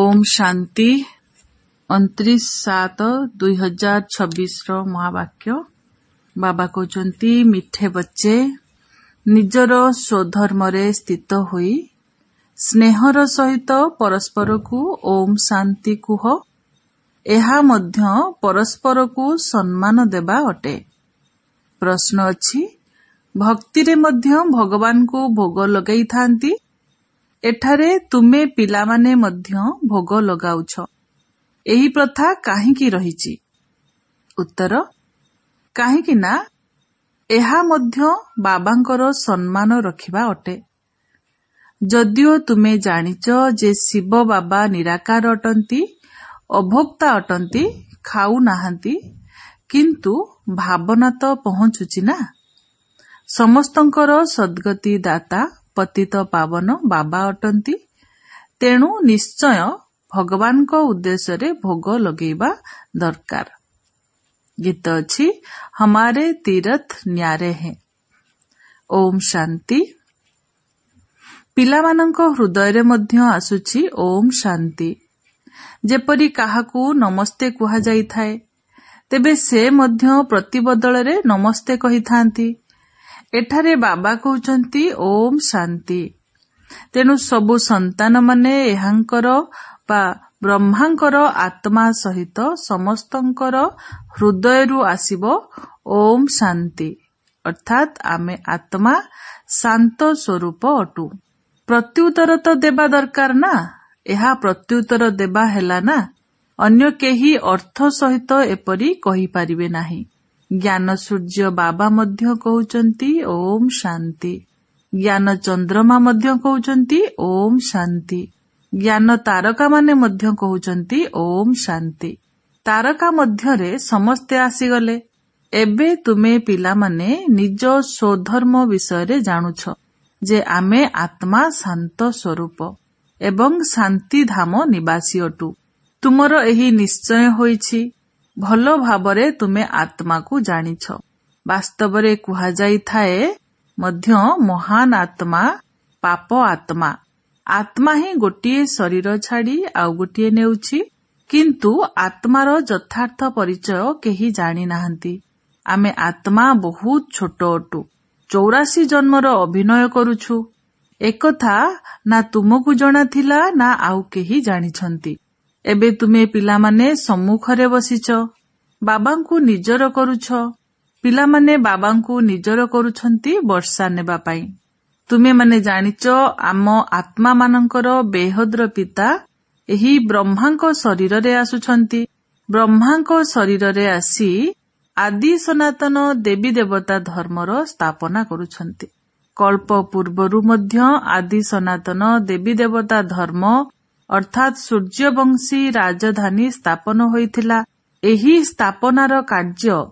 ଓମ୍ ଶାନ୍ତି। 29/7/2026ର ମହାବାକ୍ୟ। ବାବା କହୁଛନ୍ତି, ମିଠେ ବଚ୍ଚେ, ନିଜର ସ୍ୱଧର୍ମରେ ସ୍ଥିତ ହୋଇ ସ୍ନେହର ସହିତ ପରସ୍ପରକୁ ଓମ୍ ଶାନ୍ତି କୁହ। ଏହା ମଧ୍ୟ ପରସ୍ପରକୁ ସମ୍ମାନ ଦେବା ଅଟେ। ପ୍ରଶ୍ନ ଅଛି, ଭକ୍ତିରେ ମଧ୍ୟ ଭଗବାନଙ୍କୁ ଭୋଗ ଲଗାଇଥାନ୍ତି। ଏଠାରେ ତୁମେ ପିଲାମାନେ ମଧ୍ୟ ଭୋଗ ଲଗାଉଛ। ଏହି ପ୍ରଥା କାହିଁକି ରହିଛି? ଉତ୍ତର, କାହିଁକି ନା ଏହା ମଧ୍ୟ ବାବାଙ୍କର ସମ୍ମାନ ରଖିବା ଅଟେ। ଯଦିଓ ତୁମେ ଜାଣିଛ ଯେ ଶିବ ବାବା ନିରାକାର ଅଟନ୍ତି, ଅଭୋକ୍ତା ଅଟନ୍ତି, ଖାଉ ନାହାନ୍ତି, କିନ୍ତୁ ଭାବନା ତ ପହଞ୍ଚୁଛି ନା। ସମସ୍ତଙ୍କର ସଦ୍ଗତି ଦାତା ପତିତ ପାବନ ବାବା ଅଟନ୍ତି। ତେଣୁ ନିଶ୍ଚୟ ଭଗବାନଙ୍କ ଉଦ୍ଦେଶ୍ୟରେ ଭୋଗ ଲଗେଇବା ଦରକାର। ଗୀତ ଅଛି, ହମାରେ ତୀରଥ ନ୍ୟାରେ ହେ। ଓମ୍ ଶାନ୍ତି। ପିଲାମାନଙ୍କ ହୃଦୟରେ ମଧ୍ୟ ଆସୁଛି ଓମ୍ ଶାନ୍ତି। ଯେପରି କାହାକୁ ନମସ୍ତେ କୁହାଯାଇଥାଏ, ତେବେ ସେ ମଧ୍ୟ ପ୍ରତିବଦଳରେ ନମସ୍ତେ କହିଥାନ୍ତି। ଏଠାରେ ବାବା କହୁଛନ୍ତି ଓମ୍ ଶାନ୍ତି। ତେଣୁ ସବୁ ସନ୍ତାନମାନେ ଏହାଙ୍କର ବା ବ୍ରହ୍ମାଙ୍କର ଆତ୍ମା ସହିତ ସମସ୍ତଙ୍କର ହୃଦୟରୁ ଆସିବ ଓମ୍ ଶାନ୍ତି। ଅର୍ଥାତ୍ ଆମେ ଆତ୍ମା ଶାନ୍ତ ସ୍ୱରୂପ ଅଟୁ। ପ୍ରତ୍ୟୁତ୍ତର ତ ଦେବା ଦରକାର ନା? ଏହା ପ୍ରତ୍ୟୁତ୍ତର ଦେବା ହେଲା ନା? ଅନ୍ୟ କେହି ଅର୍ଥ ସହିତ ଏପରି କହିପାରିବେ ନାହିଁ। ଜ୍ଞାନ ସୂର୍ଯ୍ୟ ବାବା ମଧ୍ୟ କହୁଛନ୍ତି ଓମ୍ ଶାନ୍ତି। ଜ୍ଞାନ ଚନ୍ଦ୍ରମା ମଧ୍ୟ କହୁଛନ୍ତି ଓମ୍ ଶାନ୍ତି। ଜ୍ଞାନ ତାରକାମାନେ ମଧ୍ୟ କହୁଛନ୍ତି ଓମ୍ ଶାନ୍ତି। ତାରକା ମଧ୍ୟରେ ସମସ୍ତେ ଆସିଗଲେ। ଏବେ ତୁମେ ପିଲାମାନେ ନିଜ ସ୍ୱଧର୍ମ ବିଷୟରେ ଜାଣୁଛ ଯେ ଆମେ ଆତ୍ମା ଶାନ୍ତ ସ୍ୱରୂପ ଏବଂ ଶାନ୍ତିଧାମ ନିବାସୀ ଅଟୁ। ତୁମର ଏହି ନିଶ୍ଚୟ ହୋଇଛି। ଭଲ ଭାବରେ ତୁମେ ଆତ୍ମାକୁ ଜାଣିଛ। ବାସ୍ତବରେ କୁହାଯାଇଥାଏ ମଧ୍ୟ ମହାନ ଆତ୍ମା, ପାପ ଆତ୍ମା। ଆତ୍ମା ହିଁ ଗୋଟିଏ ଶରୀର ଛାଡି ଆଉ ଗୋଟିଏ ନେଉଛି, କିନ୍ତୁ ଆତ୍ମାର ଯଥାର୍ଥ ପରିଚୟ କେହି ଜାଣି ନାହାନ୍ତି। ଆମେ ଆତ୍ମା ବହୁତ ଛୋଟ ଅଟୁ। 84 ଜନ୍ମର ଅଭିନୟ କରୁଛୁ। ଏକଥା ନା ତୁମକୁ ଜଣାଥିଲା ନା ଆଉ କେହି ଜାଣିଛନ୍ତି। ଏବେ ତୁମେ ପିଲାମାନେ ସମ୍ମୁଖରେ ବସିଛ, ବାବାଙ୍କୁ ନିଜର କରୁଛ। ପିଲାମାନେ ବାବାଙ୍କୁ ନିଜର କରୁଛନ୍ତି ବର୍ଷା ନେବା ପାଇଁ। ତୁମେମାନେ ଜାଣିଛ ଆମ ଆତ୍ମାମାନଙ୍କର ବେହଦର ପିତା ଏହି ବ୍ରହ୍ମାଙ୍କ ଶରୀରରେ ଆସୁଛନ୍ତି। ବ୍ରହ୍ମାଙ୍କ ଶରୀରରେ ଆସି ଆଦି ସନାତନ ଦେବୀ ଦେବତା ଧର୍ମର ସ୍ଥାପନା କରୁଛନ୍ତି। କଳ୍ପ ପୂର୍ବରୁ ମଧ୍ୟ ଆଦି ସନାତନ ଦେବୀ ଦେବତା ଧର୍ମ ଅର୍ଥାତ୍ ସୂର୍ଯ୍ୟବଂଶୀ ରାଜଧାନୀ ସ୍ଥାପନ ହୋଇଥିଲା। ଏହି ସ୍ଥାପନାର କାର୍ଯ୍ୟ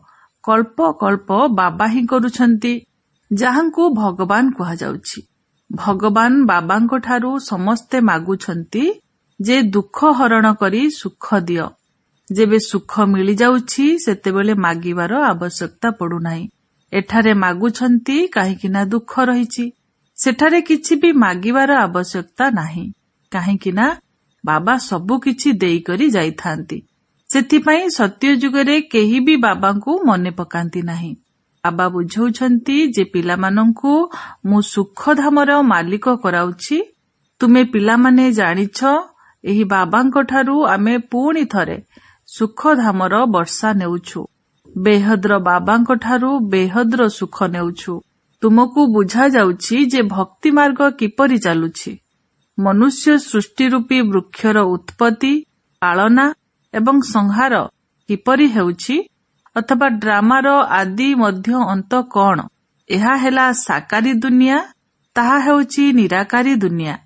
କଳ୍ପ କଳ୍ପ ବାବା ହିଁ କରୁଛନ୍ତି, ଯାହାଙ୍କୁ ଭଗବାନ କୁହାଯାଉଛି। ଭଗବାନ ବାବାଙ୍କଠାରୁ ସମସ୍ତେ ମାଗୁଛନ୍ତି ଯେ ଦୁଃଖ ହରଣ କରି ସୁଖ ଦିଅ। ଯେବେ ସୁଖ ମିଳିଯାଉଛି ସେତେବେଳେ ମାଗିବାର ଆବଶ୍ୟକତା ପଡୁନାହିଁ। ଏଠାରେ ମାଗୁଛନ୍ତି କାହିଁକି ନା ଦୁଃଖ ରହିଛି। ସେଠାରେ କିଛି ବି ମାଗିବାର ଆବଶ୍ୟକତା ନାହିଁ, କାହିଁକି ନା ବାବା ସବୁ କିଛି ଦେଇକରି ଯାଇଥାନ୍ତି। ସେଥିପାଇଁ ସତ୍ୟ ଯୁଗରେ କେହି ବି ବାବାଙ୍କୁ ମନେ ପକାନ୍ତି ନାହିଁ। ବାବା ବୁଝାଉଛନ୍ତି ଯେ ପିଲାମାନଙ୍କୁ ମୁଁ ସୁଖଧାମର ମାଲିକ କରାଉଛି। ତୁମେ ପିଲାମାନେ ଜାଣିଛ ଏହି ବାବାଙ୍କଠାରୁ ଆମେ ପୁଣି ଥରେ ସୁଖଧାମର ବର୍ଷା ନେଉଛୁ। ବେହଦର ବାବାଙ୍କଠାରୁ ବେହଦର ସୁଖ ନେଉଛୁ। ତୁମକୁ ବୁଝାଯାଉଛି ଯେ ଭକ୍ତି ମାର୍ଗ କିପରି ଚାଲୁଛି। ମନୁଷ୍ୟ ସୃଷ୍ଟି ରୂପୀ ବୃକ୍ଷର ଉତ୍ପତ୍ତି, ପାଳନା ଏବଂ ସଂହାର କିପରି ହେଉଛି, ଅଥବା ଡ୍ରାମାର ଆଦି ମଧ୍ୟ ଅନ୍ତ କଣ? ଏହା ହେଲା ସାକାରୀ ଦୁନିଆ, ତାହା ହେଉଛି ନିରାକାରୀ ଦୁନିଆ।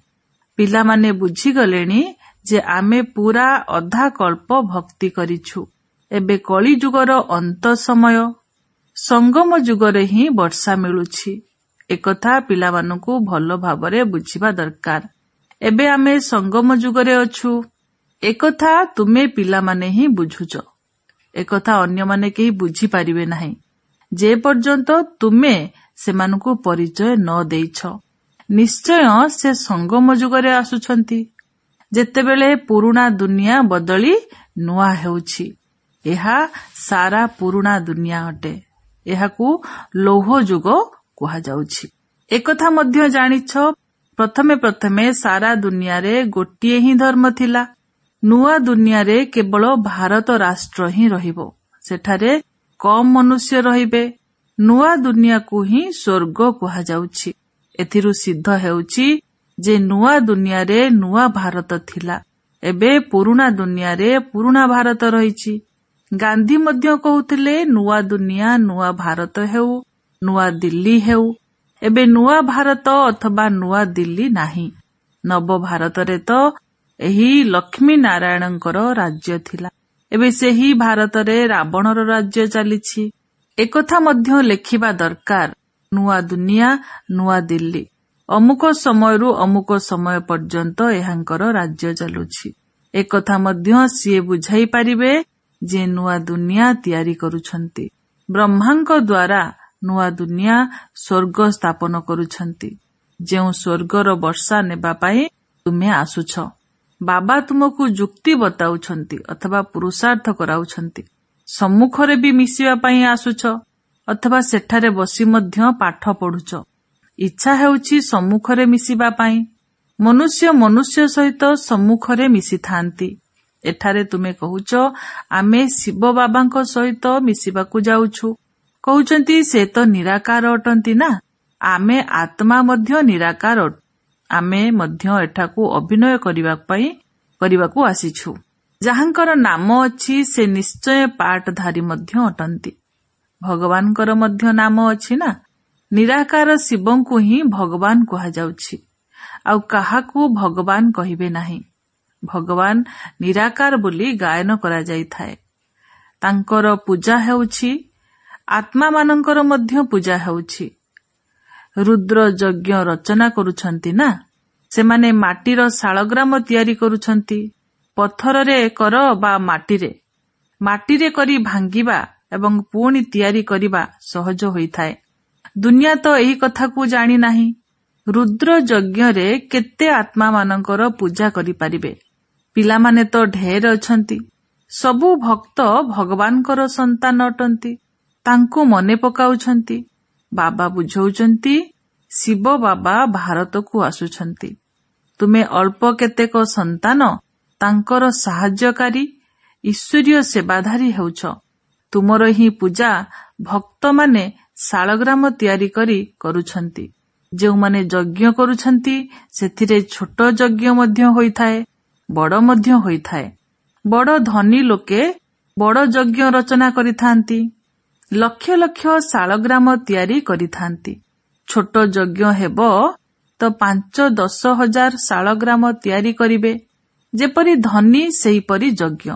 ପିଲାମାନେ ବୁଝିଗଲେଣି ଯେ ଆମେ ପୁରା ଅଧା କଳ୍ପ ଭକ୍ତି କରିଛୁ। ଏବେ କଳିଯୁଗର ଅନ୍ତ ସମୟ, ସଙ୍ଗମ ଯୁଗରେ ହିଁ ବର୍ଷା ମିଳୁଛି। ଏକଥା ପିଲାମାନଙ୍କୁ ଭଲ ଭାବରେ ବୁଝିବା ଦରକାର। ଏବେ ଆମେ ସଙ୍ଗମ ଯୁଗରେ ଅଛୁ। ଏକଥା ତୁମେ ପିଲାମାନେ ହିଁ ବୁଝୁଛ। ଏକଥା ଅନ୍ୟମାନେ କେହି ବୁଝିପାରିବେ ନାହିଁ ଯେ ପର୍ଯ୍ୟନ୍ତ ତୁମେ ସେମାନଙ୍କୁ ପରିଚୟ ନ ଦେଇଛ। ନିଶ୍ଚୟ ସେ ସଙ୍ଗମ ଯୁଗରେ ଆସୁଛନ୍ତି। ଯେତେବେଳେ ପୁରୁଣା ଦୁନିଆ ବଦଳି ନୂଆ ହେଉଛି। ଏହା ସାରା ପୁରୁଣା ଦୁନିଆ ଅଟେ। ଏହାକୁ ଲୌହ ଯୁଗ କୁହାଯାଉଛି। ଏକଥା ମଧ୍ୟ ଜାଣିଛ, ପ୍ରଥମେ ପ୍ରଥମେ ସାରା ଦୁନିଆରେ ଗୋଟିଏ ହିଁ ଧର୍ମ ଥିଲା। ନୂଆ ଦୁନିଆରେ କେବଳ ଭାରତ ରାଷ୍ଟ୍ର ହିଁ ରହିବ। ସେଠାରେ କମ୍ ମନୁଷ୍ୟ ରହିବେ। ନୂଆ ଦୁନିଆକୁ ହିଁ ସ୍ୱର୍ଗ କୁହାଯାଉଛି। ଏଥିରୁ ସିଦ୍ଧ ହେଉଛି ଯେ ନୂଆ ଦୁନିଆରେ ନୂଆ ଭାରତ ଥିଲା, ଏବେ ପୁରୁଣା ଦୁନିଆରେ ପୁରୁଣା ଭାରତ ରହିଛି। ଗାନ୍ଧୀ ମଧ୍ୟ କହୁଥିଲେ ନୂଆ ଦୁନିଆ ନୂଆ ଭାରତ ହେଉ, ନୂଆ ଦିଲ୍ଲୀ ହେଉ। ଏବେ ନୂଆ ଭାରତ ଅଥବା ନୂଆ ଦିଲ୍ଲୀ ନାହିଁ। ନବ ଭାରତରେ ତ ଏହି ଲକ୍ଷ୍ମୀ ନାରାୟଣଙ୍କର ରାଜ୍ୟ ଥିଲା, ଏବେ ସେହି ଭାରତରେ ରାବଣର ରାଜ୍ୟ ଚାଲିଛି। ଏକଥା ମଧ୍ୟ ଲେଖିବା ଦରକାର, ନୂଆ ଦୁନିଆ ନୂଆ ଦିଲ୍ଲୀ। ଅମୁକ ସମୟରୁ ଅମୁକ ସମୟ ପର୍ଯ୍ୟନ୍ତ ଏହାଙ୍କର ରାଜ୍ୟ ଚାଲୁଛି। ଏକଥା ମଧ୍ୟ ସିଏ ବୁଝାଇ ପାରିବେ ଯେ ନୂଆ ଦୁନିଆ ତିଆରି କରୁଛନ୍ତି। ବ୍ରହ୍ମାଙ୍କ ଦ୍ୱାରା ନୂଆ ଦୁନିଆ ସ୍ୱର୍ଗ ସ୍ଥାପନ କରୁଛନ୍ତି, ଯେଉଁ ସ୍ୱର୍ଗର ବର୍ଷା ନେବା ପାଇଁ ତୁମେ ଆସୁଛ। ବାବା ତୁମକୁ ଯୁକ୍ତି ବତାଉଛନ୍ତି ଅଥବା ପୁରୁଷାର୍ଥ କରାଉଛନ୍ତି। ସମ୍ମୁଖରେ ବି ମିଶିବା ପାଇଁ ଆସୁଛ ଅଥବା ସେଠାରେ ବସି ମଧ୍ୟ ପାଠ ପଢୁଛ। ଇଚ୍ଛା ହେଉଛି ସମ୍ମୁଖରେ ମିଶିବା ପାଇଁ। ମନୁଷ୍ୟ ମନୁଷ୍ୟ ସହିତ ସମ୍ମୁଖରେ ମିଶିଥାନ୍ତି। ଏଠାରେ ତୁମେ କହୁଛ ଆମେ ଶିବ ବାବାଙ୍କ ସହିତ ମିଶିବାକୁ ଯାଉଛୁ। କହୁଛନ୍ତି ସେ ତ ନିରାକାର ଅଟନ୍ତି ନା, ଆମେ ଆତ୍ମା ମଧ୍ୟ ନିରାକାର। ଆମେ ମଧ୍ୟ ଏଠାକୁ ଅଭିନୟ କରିବାକୁ ଆସିଛୁ। ଯାହାଙ୍କର ନାମ ଅଛି ସେ ନିଶ୍ଚୟ ପାଠଧାରୀ ମଧ୍ୟ ଅଟନ୍ତି। ଭଗବାନଙ୍କର ମଧ୍ୟ ନାମ ଅଛି ନା। ନିରାକାର ଶିବଙ୍କୁ ହିଁ ଭଗବାନ କୁହାଯାଉଛି, ଆଉ କାହାକୁ ଭଗବାନ କହିବେ ନାହିଁ। ଭଗବାନ ନିରାକାର ବୋଲି ଗାୟନ କରାଯାଇଥାଏ। ତାଙ୍କର ପୂଜା ହେଉଛି, ଆତ୍ମାମାନଙ୍କର ମଧ୍ୟ ପୂଜା ହେଉଛି। ରୁଦ୍ର ଯଜ୍ଞ ରଚନା କରୁଛନ୍ତି ନା, ସେମାନେ ମାଟିର ଶାଳଗ୍ରାମ ତିଆରି କରୁଛନ୍ତି। ପଥରରେ କର ବା ମାଟିରେ, ମାଟିରେ କରି ଭାଙ୍ଗିବା ଏବଂ ପୁଣି ତିଆରି କରିବା ସହଜ ହୋଇଥାଏ। ଦୁନିଆ ତ ଏହି କଥାକୁ ଜାଣି ନାହିଁ। ରୁଦ୍ର ଯଜ୍ଞରେ କେତେ ଆତ୍ମାମାନଙ୍କର ପୂଜା କରିପାରିବେ? ପିଲାମାନେ ତ ଢେର ଅଛନ୍ତି। ସବୁ ଭକ୍ତ ଭଗବାନଙ୍କର ସନ୍ତାନ ଅଟନ୍ତି, ତାଙ୍କୁ ମନେ ପକାଉଛନ୍ତି। ବାବା ବୁଝାଉଛନ୍ତି ଶିବ ବାବା ଭାରତକୁ ଆସୁଛନ୍ତି। ତୁମେ ଅଳ୍ପ କେତେକ ସନ୍ତାନ ତାଙ୍କର ସାହାଯ୍ୟକାରୀ ଈଶ୍ୱରୀୟ ସେବାଧାରୀ ହେଉଛ। ତୁମର ହିଁ ପୂଜା ଭକ୍ତମାନେ ଶାଳଗ୍ରାମ ତିଆରି କରି କରୁଛନ୍ତି। ଯେଉଁମାନେ ଯଜ୍ଞ କରୁଛନ୍ତି ସେଥିରେ ଛୋଟ ଯଜ୍ଞ ମଧ୍ୟ ହୋଇଥାଏ, ବଡ଼ ମଧ୍ୟ ହୋଇଥାଏ। ବଡ଼ ଧନୀ ଲୋକେ ବଡ଼ ଯଜ୍ଞ ରଚନା କରିଥାନ୍ତି, ଲକ୍ଷ ଲକ୍ଷ ଶାଳଗ୍ରାମ ତିଆରି କରିଥାନ୍ତି। ଛୋଟ ଯଜ୍ଞ ହେବ ତ 5-10 ହଜାର ଶାଳଗ୍ରାମ ତିଆରି କରିବେ। ଯେପରି ଧନୀ ସେହିପରି ଯଜ୍ଞ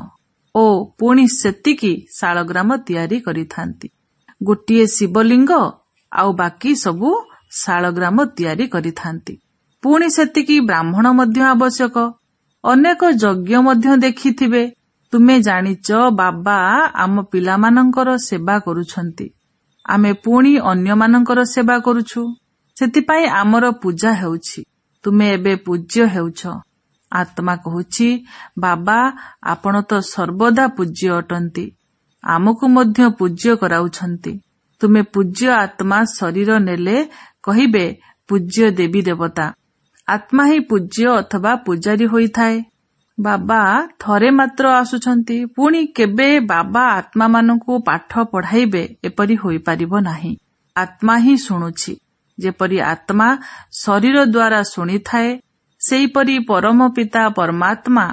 ଓ ପୁଣି ସେତିକି ଶାଳଗ୍ରାମ ତିଆରି କରିଥାନ୍ତି। ଗୋଟିଏ ଶିବଲିଙ୍ଗ ଆଉ ବାକି ସବୁ ଶାଳଗ୍ରାମ ତିଆରି କରିଥାନ୍ତି। ପୁଣି ସେତିକି ବ୍ରାହ୍ମଣ ମଧ୍ୟ ଆବଶ୍ୟକ। ଅନେକ ଯଜ୍ଞ ମଧ୍ୟ ଦେଖିଥିବେ। ତୁମେ ଜାଣିଛ ବାବା ଆମ ପିଲାମାନଙ୍କର ସେବା କରୁଛନ୍ତି, ଆମେ ପୁଣି ଅନ୍ୟମାନଙ୍କର ସେବା କରୁଛୁ, ସେଥିପାଇଁ ଆମର ପୂଜା ହେଉଛି। ତୁମେ ଏବେ ପୂଜ୍ୟ ହେଉଛ। ଆତ୍ମା କହୁଛି ବାବା ଆପଣ ତ ସର୍ବଦା ପୂଜ୍ୟ ଅଟନ୍ତି, ଆମକୁ ମଧ୍ୟ ପୂଜ୍ୟ କରାଉଛନ୍ତି। ତୁମେ ପୂଜ୍ୟ ଆତ୍ମା ଶରୀର ନେଲେ କହିବେ ପୂଜ୍ୟ ଦେବୀ ଦେବତା। ଆତ୍ମା ହିଁ ପୂଜ୍ୟ ଅଥବା ପୂଜାରୀ ହୋଇଥାଏ। ବାବା ଥରେ ମାତ୍ର ଆସୁଛନ୍ତି, ପୁଣି କେବେ ବାବା ଆତ୍ମାମାନଙ୍କୁ ପାଠ ପଢାଇବେ ଏପରି ହୋଇପାରିବ ନାହିଁ। ଆତ୍ମା ହିଁ ଶୁଣୁଛି। ଯେପରି ଆତ୍ମା ଶରୀର ଦ୍ୱାରା ଶୁଣିଥାଏ, ସେହିପରି ପରମ ପିତା ପରମାତ୍ମା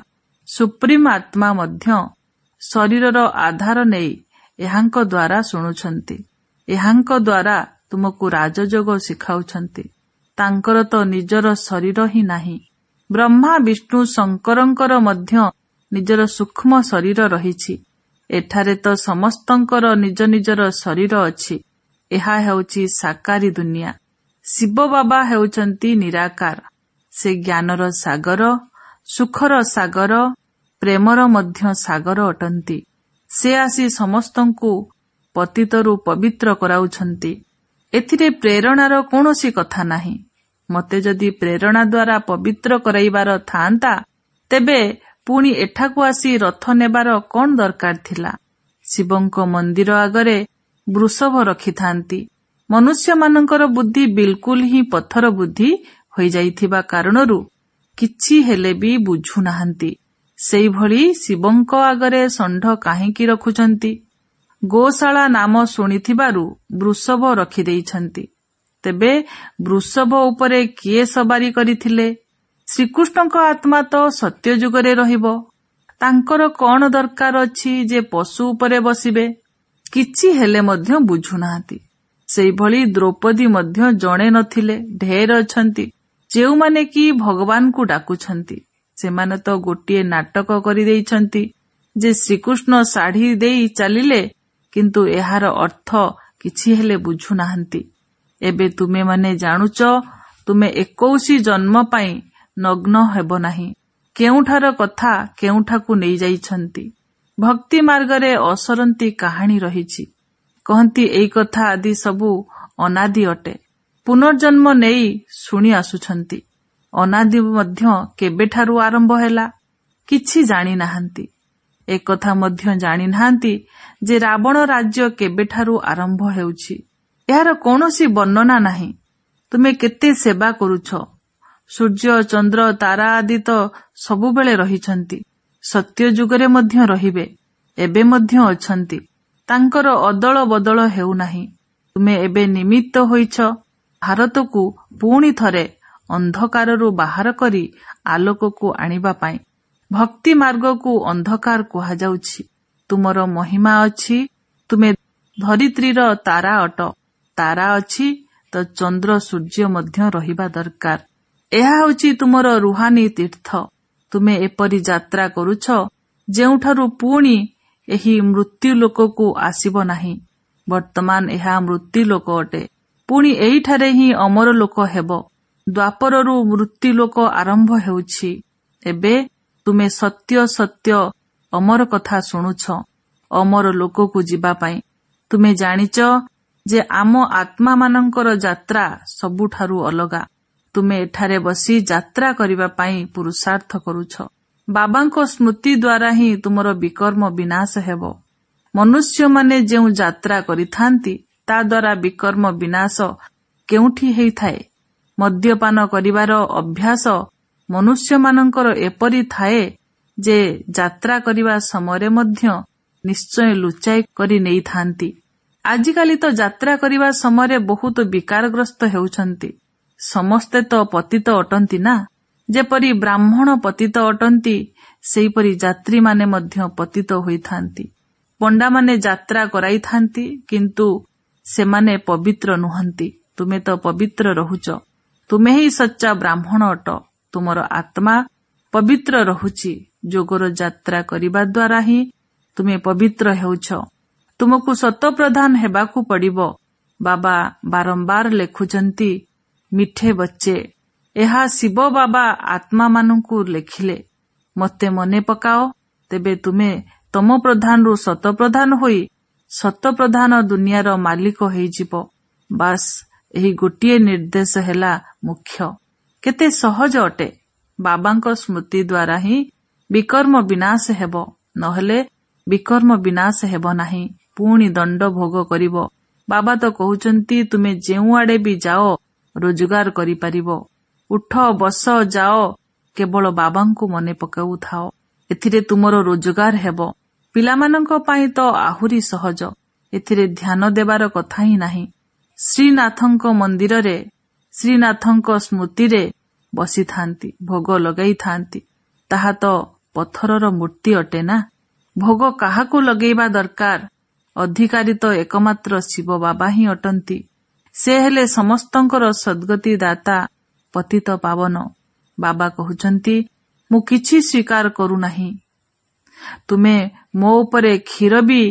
ସୁପ୍ରିମ ଆତ୍ମା ମଧ୍ୟ ଶରୀରର ଆଧାର ନେଇ ଏହାଙ୍କ ଦ୍ୱାରା ଶୁଣୁଛନ୍ତି। ଏହାଙ୍କ ଦ୍ୱାରା ତୁମକୁ ରାଜଯୋଗ ଶିଖାଉଛନ୍ତି। ତାଙ୍କର ତ ନିଜର ଶରୀର ହିଁ ନାହିଁ। ବ୍ରହ୍ମା ବିଷ୍ଣୁ ଶଙ୍କରଙ୍କର ମଧ୍ୟ ନିଜର ସୂକ୍ଷ୍ମ ଶରୀର ରହିଛି। ଏଠାରେ ତ ସମସ୍ତଙ୍କର ନିଜ ନିଜର ଶରୀର ଅଛି। ଏହା ହେଉଛି ସାକାରୀ ଦୁନିଆ। ଶିବ ବାବା ହେଉଛନ୍ତି ନିରାକାର। ସେ ଜ୍ଞାନର ସାଗର, ସୁଖର ସାଗର, ପ୍ରେମର ମଧ୍ୟ ସାଗର ଅଟନ୍ତି। ସେ ଆସି ସମସ୍ତଙ୍କୁ ପତିତରୁ ପବିତ୍ର କରାଉଛନ୍ତି। ଏଥିରେ ପ୍ରେରଣାର କୌଣସି କଥା ନାହିଁ। ମୋତେ ଯଦି ପ୍ରେରଣା ଦ୍ୱାରା ପବିତ୍ର କରାଇବାର ଥାଆନ୍ତା, ତେବେ ପୁଣି ଏଠାକୁ ଆସି ରଥ ନେବାର କ'ଣ ଦରକାର ଥିଲା? ଶିବଙ୍କ ମନ୍ଦିର ଆଗରେ ବୃଷଭ ରଖିଥାନ୍ତି। ମନୁଷ୍ୟମାନଙ୍କର ବୁଦ୍ଧି ବିଲକୁଲ ହିଁ ପଥର ବୁଦ୍ଧି ହୋଇଯାଇଥିବା କାରଣରୁ କିଛି ହେଲେ ବି ବୁଝୁନାହାନ୍ତି। ସେହିଭଳି ଶିବଙ୍କ ଆଗରେ ଷଣ୍ଢ କାହିଁକି ରଖୁଛନ୍ତି? ଗୋଶାଳା ନାମ ଶୁଣିଥିବାରୁ ବୃଷଭ ରଖିଦେଇଛନ୍ତି। ତେବେ ବୃଷଭ ଉପରେ କିଏ ସବାରି କରିଥିଲେ? ଶ୍ରୀକୃଷ୍ଣଙ୍କ ଆତ୍ମା ତ ସତ୍ୟଯୁଗରେ ରହିବ। ତାଙ୍କର କ'ଣ ଦରକାର ଅଛି ଯେ ପଶୁ ଉପରେ ବସିବେ? କିଛି ହେଲେ ମଧ୍ୟ ବୁଝୁନାହାନ୍ତି। ସେହିଭଳି ଦ୍ରୌପଦୀ ମଧ୍ୟ ଜଣେ ନଥିଲେ, ଢେର ଅଛନ୍ତି, ଯେଉଁମାନେ କି ଭଗବାନଙ୍କୁ ଡାକୁଛନ୍ତି। ସେମାନେ ତ ଗୋଟିଏ ନାଟକ କରିଦେଇଛନ୍ତି ଯେ ଶ୍ରୀକୃଷ୍ଣ ଶାଢ଼ୀ ଦେଇ ଚାଲିଲେ, କିନ୍ତୁ ଏହାର ଅର୍ଥ କିଛି ହେଲେ ବୁଝୁନାହାନ୍ତି। ଏବେ ତୁମେମାନେ ଜାଣୁଛ, ତୁମେ 21 ଜନ୍ମ ପାଇଁ ନଗ୍ନ ହେବ ନାହିଁ। କେଉଁଠାର କଥା କେଉଁଠାକୁ ନେଇଯାଇଛନ୍ତି। ଭକ୍ତି ମାର୍ଗରେ ଅସରନ୍ତି କାହାଣୀ ରହିଛି। କହନ୍ତି ଏଇ କଥା ଆଦି ସବୁ ଅନାଦି ଅଟେ। ପୁନର୍ଜନ୍ମ ନେଇ ଶୁଣି ଆସୁଛନ୍ତି। ଅନାଦି ମଧ୍ୟ କେବେଠାରୁ ଆରମ୍ଭ ହେଲା କିଛି ଜାଣିନାହାନ୍ତି। ଏକଥା ମଧ୍ୟ ଜାଣିନାହାନ୍ତି ଯେ ରାବଣ ରାଜ୍ୟ କେବେଠାରୁ ଆରମ୍ଭ ହେଉଛି। ଏହାର କୌଣସି ବର୍ଣ୍ଣନା ନାହିଁ। ତୁମେ କେତେ ସେବା କରୁଛ। ସୂର୍ଯ୍ୟ, ଚନ୍ଦ୍ର, ତାରା ଆଦି ତ ସବୁବେଳେ ରହିଛନ୍ତି। ସତ୍ୟ ଯୁଗରେ ମଧ୍ୟ ରହିବେ, ଏବେ ମଧ୍ୟ ଅଛନ୍ତି। ତାଙ୍କର ଅଦଳ ବଦଳ ହେଉନାହିଁ। ତୁମେ ଏବେ ନିମିତ୍ତ ହୋଇଛ ଭାରତକୁ ପୁଣି ଥରେ ଅନ୍ଧକାରରୁ ବାହାର କରି ଆଲୋକକୁ ଆଣିବା ପାଇଁ। ଭକ୍ତି ମାର୍ଗକୁ ଅନ୍ଧକାର କୁହାଯାଉଛି। ତୁମର ମହିମା ଅଛି, ତୁମେ ଧରିତ୍ରୀର ତାରା ଅଟ। ତାରା ଅଛି ତ ଚନ୍ଦ୍ର ସୂର୍ଯ୍ୟ ମଧ୍ୟ ରହିବା ଦରକାର। ଏହା ହେଉଛି ତୁମର ରୁହାନୀ ତୀର୍ଥ। ତୁମେ ଏପରି ଯାତ୍ରା କରୁଛ ଯେଉଁଠାରୁ ପୁଣି ଏହି ମୃତ୍ୟୁ ଲୋକକୁ ଆସିବ ନାହିଁ। ବର୍ତ୍ତମାନ ଏହା ମୃତ୍ୟୁ ଲୋକ ଅଟେ। ପୁଣି ଏହିଠାରେ ହିଁ ଅମର ଲୋକ ହେବ। ଦ୍ୱାପରରୁ ମୃତ୍ୟୁ ଲୋକ ଆରମ୍ଭ ହେଉଛି। ଏବେ ତୁମେ ସତ୍ୟ ସତ୍ୟ ଅମର କଥା ଶୁଣୁଛ, ଅମର ଲୋକକୁ ଯିବା ପାଇଁ। ତୁମେ ଜାଣିଛ ଯେ ଆମ ଆତ୍ମାମାନଙ୍କର ଯାତ୍ରା ସବୁଠାରୁ ଅଲଗା। ତୁମେ ଏଠାରେ ବସି ଯାତ୍ରା କରିବା ପାଇଁ ପୁରୁଷାର୍ଥ କରୁଛ। ବାବାଙ୍କ ସ୍ମୃତି ଦ୍ୱାରା ହିଁ ତୁମର ବିକର୍ମ ବିନାଶ ହେବ। ମନୁଷ୍ୟମାନେ ଯେଉଁ ଯାତ୍ରା କରିଥାନ୍ତି ତା ଦ୍ୱାରା ବିକର୍ମ ବିନାଶ କେଉଁଠି ହେଇଥାଏ? ମଦ୍ୟପାନ କରିବାର ଅଭ୍ୟାସ ମନୁଷ୍ୟମାନଙ୍କର ଏପରି ଥାଏ ଯେ ଯାତ୍ରା କରିବା ସମୟରେ ମଧ୍ୟ ନିଶ୍ଚୟ ଲୁଚାଇ କରି ନେଇଥାନ୍ତି। ଆଜିକାଲି ତ ଯାତ୍ରା କରିବା ସମୟରେ ବହୁତ ବିକାରଗ୍ରସ୍ତ ହେଉଛନ୍ତି। ସମସ୍ତେ ତ ପତିତ ଅଟନ୍ତି ନା? ଯେପରି ବ୍ରାହ୍ମଣ ପତିତ ଅଟନ୍ତି, ସେହିପରି ଯାତ୍ରୀମାନେ ମଧ୍ୟ ପତିତ ହୋଇଥାନ୍ତି। ପଣ୍ଡାମାନେ ଯାତ୍ରା କରାଇଥାନ୍ତି, କିନ୍ତୁ ସେମାନେ ପବିତ୍ର ନୁହନ୍ତି। ତୁମେ ତ ପବିତ୍ର ରହୁଛ। ତୁମେ ହିଁ ସଚ୍ଚା ବ୍ରାହ୍ମଣ ଅଟ। ତୁମର ଆତ୍ମା ପବିତ୍ର ରହୁଛି। ଯୋଗର ଯାତ୍ରା କରିବା ଦ୍ୱାରା ହିଁ ତୁମେ ପବିତ୍ର ହେଉଛ। ତୁମକୁ ସତପ୍ରଧାନ ହେବାକୁ ପଡ଼ିବ। ବାବା ବାରମ୍ବାର ଲେଖୁଛନ୍ତି, ମିଠେ ବଚ୍ଚେ। ଏହା ଶିବ ବାବା ଆତ୍ମାମାନଙ୍କୁ ଲେଖିଲେ। ମୋତେ ମନେ ପକାଅ, ତେବେ ତୁମେ ତମ ପ୍ରଧାନରୁ ସତପ୍ରଧାନ ହୋଇ ସତପ୍ରଧାନ ଦୁନିଆର ମାଲିକ ହେଇଯିବ। ବାସ୍, ଏହି ଗୋଟିଏ ନିର୍ଦ୍ଦେଶ ହେଲା ମୁଖ୍ୟ। କେତେ ସହଜ ଅଟେ। ବାବାଙ୍କ ସ୍ମୃତି ଦ୍ୱାରା ହିଁ ବିକର୍ମ ବିନାଶ ହେବ, ନହେଲେ ବିକର୍ମ ବିନାଶ ହେବ ନାହିଁ। ପୁଣି ଦଣ୍ଡ ଭୋଗ କରିବ। ବାବା ତ କହୁଛନ୍ତି ତୁମେ ଯେଉଁଆଡ଼େ ବି ଯାଅ ରୋଜଗାର କରିପାରିବ। ଉଠ, ବସ, ଯାଅ, କେବଳ ବାବାଙ୍କୁ ମନେ ପକାଉଥାଅ। ଏଥିରେ ତୁମର ରୋଜଗାର ହେବ। ପିଲାମାନଙ୍କ ପାଇଁ ତ ଆହୁରି ସହଜ। ଏଥିରେ ଧ୍ୟାନ ଦେବାର କଥା ହିଁ ନାହିଁ। ଶ୍ରୀନାଥଙ୍କ ମନ୍ଦିରରେ ଶ୍ରୀନାଥଙ୍କ ସ୍ମୃତିରେ ବସିଥାନ୍ତି, ଭୋଗ ଲଗାଇଥାନ୍ତି। ତାହା ତ ପଥରର ମୂର୍ତ୍ତି ଅଟେ ନା? ଭୋଗ କାହାକୁ ଲଗେଇବା ଦରକାର? ଅଧିକାରୀ ତ ଏକମାତ୍ର ଶିବ ବାବା ହିଁ ଅଟନ୍ତି। ସେ ହେଲେ ସମସ୍ତଙ୍କର ସଦ୍ଗତି ଦାତା, ପତିତ ପାବନ। ବାବା କହୁଛନ୍ତି, ମୁଁ କିଛି ସ୍ୱୀକାର କରୁନାହିଁ। ତୁମେ ମୋ ଉପରେ କ୍ଷୀର ବି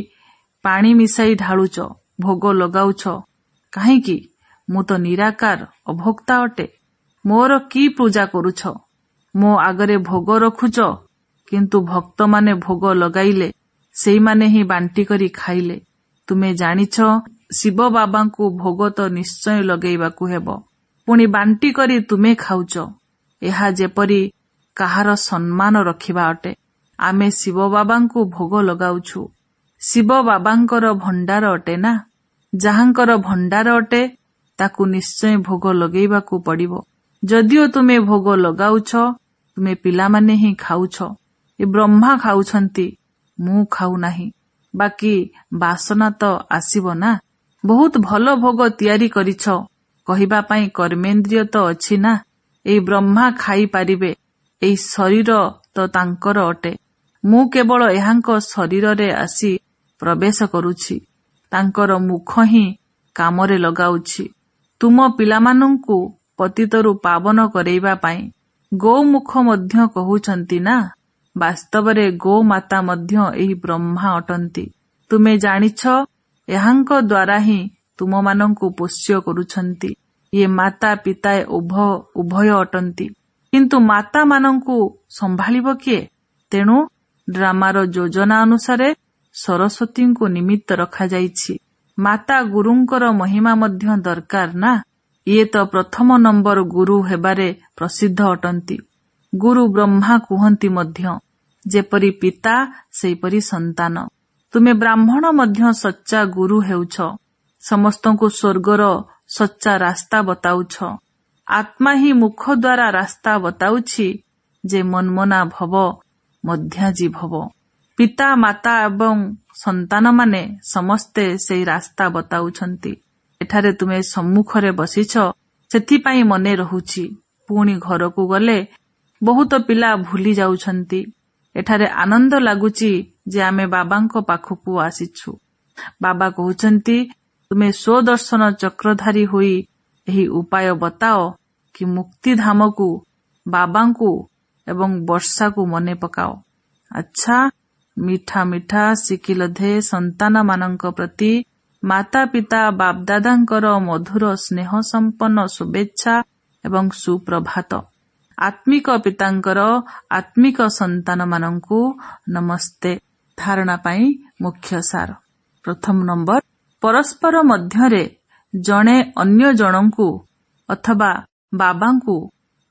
ପାଣି ମିଶାଇ ଢାଳୁଛ, ଭୋଗ ଲଗାଉଛ କାହିଁକି? ମୁଁ ତ ନିରାକାର ଅଭୋକ୍ତା ଅଟେ। ମୋର କି ପୂଜା କରୁଛ? ମୋ ଆଗରେ ଭୋଗ ରଖୁଛ, କିନ୍ତୁ ଭକ୍ତମାନେ ଭୋଗ ଲଗାଇଲେ ସେଇମାନେ ହିଁ ବାଣ୍ଟି କରି ଖାଇଲେ। ତୁମେ ଜାଣିଛ ଶିବ ବାବାଙ୍କୁ ଭୋଗ ତ ନିଶ୍ଚୟ ଲଗେଇବାକୁ ହେବ, ପୁଣି ବାଣ୍ଟି କରି ତୁମେ ଖାଉଛ। ଏହା ଯେପରି କାହାର ସମ୍ମାନ ରଖିବା ଅଟେ। ଆମେ ଶିବ ବାବାଙ୍କୁ ଭୋଗ ଲଗାଉଛୁ। ଶିବ ବାବାଙ୍କର ଭଣ୍ଡାର ଅଟେ ନା? ଯାହାଙ୍କର ଭଣ୍ଡାର ଅଟେ ତାକୁ ନିଶ୍ଚୟ ଭୋଗ ଲଗେଇବାକୁ ପଡ଼ିବ। ଯଦିଓ ତୁମେ ଭୋଗ ଲଗାଉଛ, ତୁମେ ପିଲାମାନେ ହିଁ ଖାଉଛ। ଏ ବ୍ରହ୍ମା ଖାଉଛନ୍ତି, ମୁଁ ଖାଉ ନାହିଁ। ବାକି ବାସନା ତ ଆସିବ ନା। ବହୁତ ଭଲ ଭୋଗ ତିଆରି କରିଛ କହିବା ପାଇଁ କର୍ମେନ୍ଦ୍ରିୟ ତ ଅଛି ନା। ଏଇ ବ୍ରହ୍ମା ଖାଇପାରିବେ, ଏଇ ଶରୀର ତ ତାଙ୍କର ଅଟେ। ମୁଁ କେବଳ ଏହାଙ୍କ ଶରୀରରେ ଆସି ପ୍ରବେଶ କରୁଛି, ତାଙ୍କର ମୁଖ ହିଁ କାମରେ ଲଗାଉଛି ତୁମ ପିଲାମାନଙ୍କୁ ପତିତରୁ ପାବନ କରେଇବା ପାଇଁ। ଗୋମୁଖ ମଧ୍ୟ କହୁଛନ୍ତି ନା। ବାସ୍ତବରେ ଗୋମାତା ମଧ୍ୟ ଏହି ବ୍ରହ୍ମା ଅଟନ୍ତି। ତୁମେ ଜାଣିଛ ଏହାଙ୍କ ଦ୍ୱାରା ହିଁ ତୁମମାନଙ୍କୁ ପୋଷ୍ୟ କରୁଛନ୍ତି। ଇଏ ମାତା ପିତା ଉଭୟ ଅଟନ୍ତି, କିନ୍ତୁ ମାତାମାନଙ୍କୁ ସମ୍ଭାଳିବ କିଏ? ତେଣୁ ଡ୍ରାମାର ଯୋଜନା ଅନୁସାରେ ସରସ୍ୱତୀଙ୍କୁ ନିମିତ୍ତ ରଖାଯାଇଛି। ମାତା ଗୁରୁଙ୍କର ମହିମା ମଧ୍ୟ ଦରକାର ନା। ଇଏ ତ ପ୍ରଥମ ନମ୍ବର ଗୁରୁ ହେବାରେ ପ୍ରସିଦ୍ଧ ଅଟନ୍ତି। ଗୁରୁ ବ୍ରହ୍ମା କୁହନ୍ତି ମଧ୍ୟ, ଯେପରି ପିତା ସେହିପରି ସନ୍ତାନ। ତୁମେ ବ୍ରାହ୍ମଣ ମଧ୍ୟ ସଚ୍ଚା ଗୁରୁ ହେଉଛ, ସମସ୍ତଙ୍କୁ ସ୍ୱର୍ଗର ସଚ୍ଚା ରାସ୍ତା ବତାଉଛ। ଆତ୍ମା ହିଁ ମୁଖ ଦ୍ୱାରା ରାସ୍ତା ବତାଉଛି ଯେ ମନ୍ମନା ଭବ ମଧ୍ୟାଜୀ ଭବ। ପିତା ମାତା ଏବଂ ସନ୍ତାନମାନେ ସମସ୍ତେ ସେଇ ରାସ୍ତା ବତାଉଛନ୍ତି। ଏଠାରେ ତୁମେ ସମ୍ମୁଖରେ ବସିଛ, ସେଥିପାଇଁ ମନେ ରହୁଛି। ପୁଣି ଘରକୁ ଗଲେ ବହୁତ ପିଲା ଭୁଲି ଯାଉଛନ୍ତି। ଏଠାରେ ଆନନ୍ଦ ଲାଗୁଛି ଯେ ଆମେ ବାବାଙ୍କ ପାଖକୁ ଆସିଛୁ। ବାବା କହୁଛନ୍ତି, ତୁମେ ସ୍ୱଦର୍ଶନ ଚକ୍ରଧାରୀ ହୋଇ ଏହି ଉପାୟ ବତାଅ କି ମୁକ୍ତିଧାମକୁ, ବାବାଙ୍କୁ ଏବଂ ବର୍ଷାକୁ ମନେ ପକାଅ। ଆଚ୍ଛା, ମିଠା ମିଠା ସିକିଲଧେ ସନ୍ତାନମାନଙ୍କ ପ୍ରତି ମାତା ପିତା ବାପଦାଦାଙ୍କର ମଧୁର ସ୍ନେହ ସମ୍ପନ୍ନ ଶୁଭେଚ୍ଛା ଏବଂ ସୁପ୍ରଭାତ। ଆତ୍ମିକ ପିତାଙ୍କର ଆତ୍ମିକ ସନ୍ତାନମାନଙ୍କୁ ନମସ୍ତେ। ଧାରଣା ପାଇଁ ମୁଖ୍ୟ ସାର। ପ୍ରଥମ ନମ୍ବର, ପରସ୍ପର ମଧ୍ୟରେ ଜଣେ ଅନ୍ୟ ଜଣଙ୍କୁ ଅଥବା ବାବାଙ୍କୁ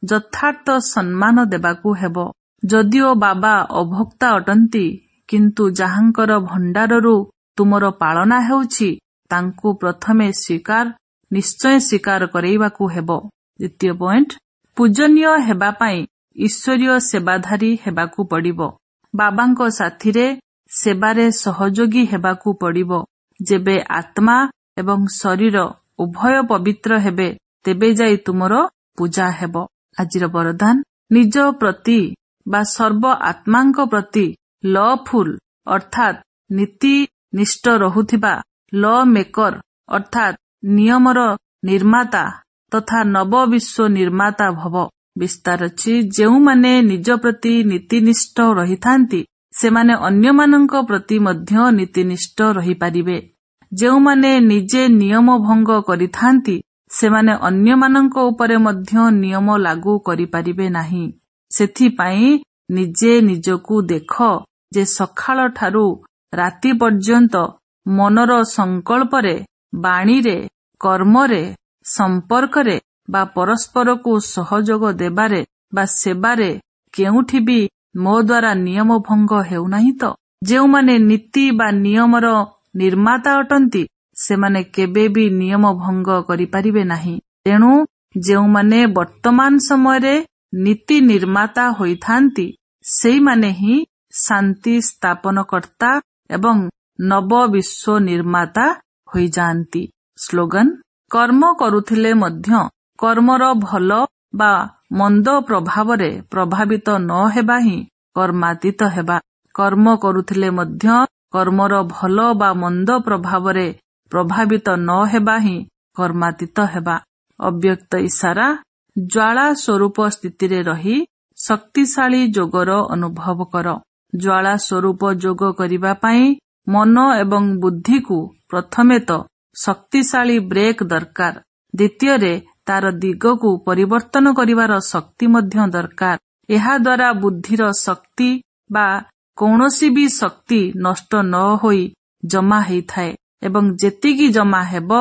ଯଥାର୍ଥ ସମ୍ମାନ ଦେବାକୁ ହେବ। ଯଦିଓ ବାବା ଅଭୋକ୍ତା ଅଟନ୍ତି, କିନ୍ତୁ ଯାହାଙ୍କର ଭଣ୍ଡାରରୁ ତୁମର ପାଳନା ହେଉଛି ତାଙ୍କୁ ପ୍ରଥମେ ନିଶ୍ଚୟ ସ୍ୱୀକାର କରେଇବାକୁ ହେବ। ଦ୍ୱିତୀୟ ପଏଣ୍ଟ, ପୂଜନୀୟ ହେବା ପାଇଁ ଈଶ୍ୱରୀୟ ସେବାଧାରୀ ହେବାକୁ ପଡ଼ିବ। ବାବାଙ୍କ ସାଥିରେ ସେବାରେ ସହଯୋଗୀ ହେବାକୁ ପଡ଼ିବ। ଯେବେ ଆତ୍ମା ଏବଂ ଶରୀର ଉଭୟ ପବିତ୍ର ହେବେ, ତେବେ ଯାଇ ତୁମର ପୂଜା ହେବ। ଆଜିର ବରଦାନ, ନିଜ ପ୍ରତି ବା ସର୍ବ ଆତ୍ମାଙ୍କ ପ୍ରତି ଲଫୁଲ ଅର୍ଥାତ୍ ନୀତି ନିଷ୍ଠ ରହୁଥିବା, ଲ ମେକର ଅର୍ଥାତ୍ ନିୟମର ନିର୍ମାତା ତଥା ନବ ବିଶ୍ୱ ନିର୍ମାତା ଭବ। ବିସ୍ତାର ଅଛି, ଯେଉଁମାନେ ନିଜ ପ୍ରତି ନୀତିନିଷ୍ଠ ରହିଥାନ୍ତି ସେମାନେ ଅନ୍ୟମାନଙ୍କ ପ୍ରତି ମଧ୍ୟ ନୀତିନିଷ୍ଠ ରହିପାରିବେ। ଯେଉଁମାନେ ନିଜେ ନିୟମ ଭଙ୍ଗ କରିଥାନ୍ତି ସେମାନେ ଅନ୍ୟମାନଙ୍କ ଉପରେ ମଧ୍ୟ ନିୟମ ଲାଗୁ କରିପାରିବେ ନାହିଁ। ସେଥିପାଇଁ ନିଜେ ନିଜକୁ ଦେଖ ଯେ ସକାଳ ଠାରୁ ରାତି ପର୍ଯ୍ୟନ୍ତ ମନର ସଂକଳ୍ପରେ, ବାଣୀରେ, କର୍ମରେ, ସମ୍ପର୍କରେ ବା ପରସ୍ପରକୁ ସହଯୋଗ ଦେବାରେ ବା ସେବାରେ କେଉଁଠି ବି ମୋ ଦ୍ୱାରା ନିୟମ ଭଙ୍ଗ ହେଉନାହିଁ ତ? ଯେଉଁମାନେ ନୀତି ବା ନିୟମର ନିର୍ମାତା ଅଟନ୍ତି ସେମାନେ କେବେ ବି ନିୟମ ଭଙ୍ଗ କରିପାରିବେ ନାହିଁ। ତେଣୁ ଯେଉଁମାନେ ବର୍ତ୍ତମାନ ସମୟରେ ନୀତି ନିର୍ମାତା ହୋଇଥାନ୍ତି ସେଇମାନେ ହିଁ ଶାନ୍ତି ସ୍ଥାପନକର୍ତ୍ତା ଏବଂ ନବ ବିଶ୍ୱ ନିର୍ମାତା ହୋଇଯାଆନ୍ତି। ସ୍ଲୋଗାନ, କର୍ମ କରୁଥିଲେ ମଧ୍ୟ କର୍ମର ଭଲ ବା ମନ୍ଦ ପ୍ରଭାବରେ ପ୍ରଭାବିତ ନ ହେବା ହିଁ କର୍ମାତୀତ ହେବା। କର୍ମ କରୁଥିଲେ ମଧ୍ୟ କର୍ମର ଭଲ ବା ମନ୍ଦ ପ୍ରଭାବରେ ପ୍ରଭାବିତ ନ ହେବା ହିଁ କର୍ମାତୀତ ହେବା। ଅବ୍ୟକ୍ତ ଇଶାରା, ଜ୍ୱାଳା ସ୍ୱରୂପ ସ୍ଥିତିରେ ରହି ଶକ୍ତିଶାଳୀ ଯୋଗର ଅନୁଭବ କର। ଜ୍ୱାଳା ସ୍ୱରୂପ ଯୋଗ କରିବା ପାଇଁ ମନ ଏବଂ ବୁଦ୍ଧିକୁ ପ୍ରଥମେ ତ ଶକ୍ତିଶାଳୀ ବ୍ରେକ୍ ଦରକାର, ଦ୍ୱିତୀୟରେ ତାର ଦିଗକୁ ପରିବର୍ତ୍ତନ କରିବାର ଶକ୍ତି ମଧ୍ୟ ଦରକାର। ଏହାଦ୍ୱାରା ବୁଦ୍ଧିର ଶକ୍ତି ବା କୌଣସି ବି ଶକ୍ତି ନଷ୍ଟ ନ ହୋଇ ଜମା ହେଇଥାଏ ଏବଂ ଯେତିକି ଜମା ହେବ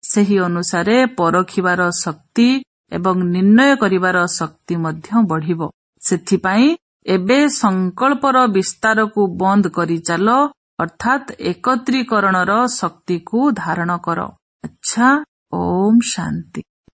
ସେହି ଅନୁସାରେ ପରଖିବାର ଶକ୍ତି ଏବଂ ନିର୍ଣ୍ଣୟ କରିବାର ଶକ୍ତି ମଧ୍ୟ ବଢ଼ିବ। ସେଥିପାଇଁ ଏବେ ସଂକଳ୍ପର ବିସ୍ତାରକୁ ବନ୍ଦ କରି ଚାଲ ଅର୍ଥାତ୍ ଏକତ୍ରୀକରଣର ଶକ୍ତିକୁ ଧାରଣ କର। ଆଚ୍ଛା, ଓମ୍ ଶାନ୍ତି।